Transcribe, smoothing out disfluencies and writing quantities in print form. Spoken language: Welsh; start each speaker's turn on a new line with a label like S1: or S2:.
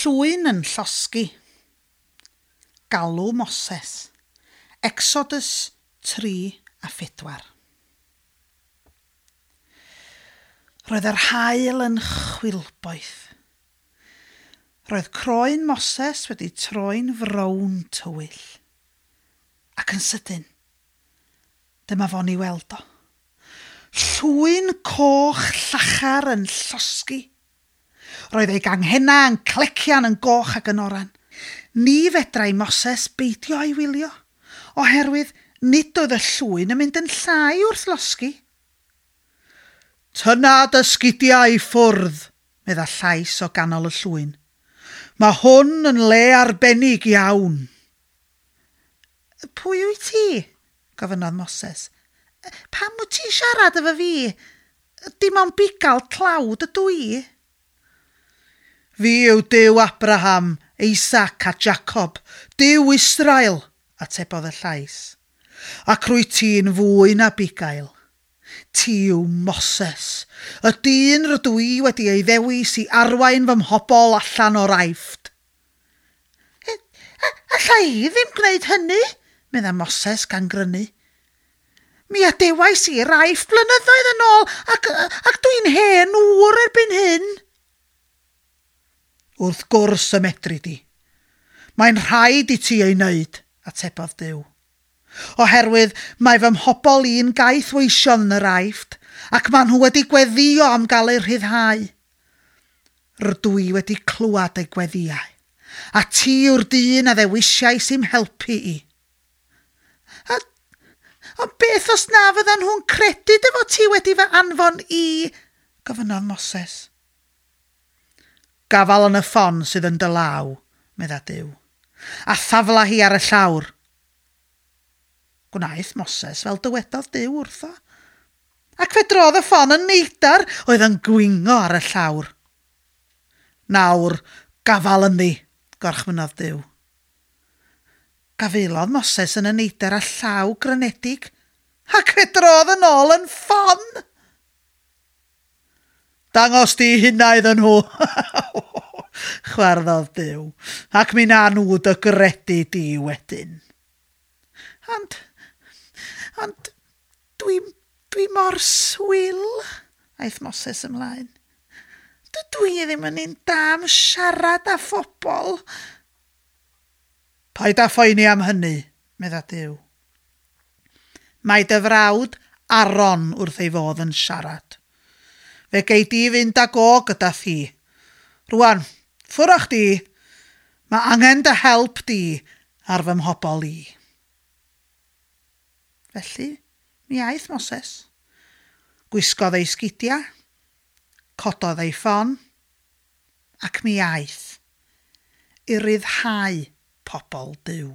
S1: Llwyn yn llosgi. Galw Moses. Exodus 3 a 4. Roedd yr haul yn chwilboeth. Roedd croen Moses wedi troi'n frown tywyll. Ac yn sydyn, dyma fo'n ei weld o. Llwyn coch llachar yn llosgi. Roedd ei ganghennau yn clecian yn goch ac yn oran. Ni fedrai Moses beidio â'i wylio, oherwydd nid oedd y llwyn yn mynd yn llai wrth losgi. Tynna dy sgidiau i ffwrdd, medda llais o ganol y llwyn. Mae hwn yn le arbennig iawn. Pwy wyt ti? gofynnodd Moses. Pam wyt ti'n siarad efo fi? Dim ond bugail tlawd ydw i. Fi yw Duw Abraham, Isaac a Jacob, Duw Israel, atebodd y llais. Ac rwyt ti'n fwy na bugail. Ti yw Moses, y dyn rydw i wedi ei ddewis i arwain fy mhobl allan o'r Aifft. Alla i ddim gwneud hynny, medda Moses gan grynu. Mi adewais i'r Aifft blynyddoedd yn ôl ac, ac dwi'n hen ŵr erbyn hyn. Wrth gwrs y medri di. Mae'n rhaid i ti ei wneud, atebodd Duw. Oherwydd mae fy mhobl i'n gaeth weision yn yr Aifft, ac maen nhw wedi gweddio am gael eu rhyddhau. Rydw i wedi clywed eu gweddïau, a ti yw'r dyn a ddewisiais i'm helpu i. A, ond beth os na fyddan nhw'n credu dy fod ti wedi fy anfon i? gofynnodd Moses. Gafal yn y ffon sydd yn dy law, medda Duw, a thafla hi ar y llawr. Gwnaeth Moses fel dywedodd Duw wrtho, ac fe drodd y ffon yn neidar oedd yn gwingo ar y llawr. Nawr, gafal ynddi, gorchmynnodd Duw. Gafaelodd Moses yn y neidr â llaw grynedig, ac fe drodd yn ôl yn ffon. Dangos di hynna iddyn nhw, chwarddodd Duw, ac mi na nhw dy gredu di wedyn. Ond, ond, dwi, dwi mor swil, aeth Moses ymlaen. Dydw i ddim yn un da am siarad â phobl. Paid â phoeni am hynny, medda Duw. Mae dy frawd Aaron wrth ei fodd yn siarad. Fe gei di fynd ag o gyda thi. Rwan, ffwr â chdi. Mae angen dy help di ar fy mhobl i. Felly, mi aeth Moses. Gwisgodd ei sgidiau, cododd ei ffon, ac mi aeth i ryddhau pobl Duw.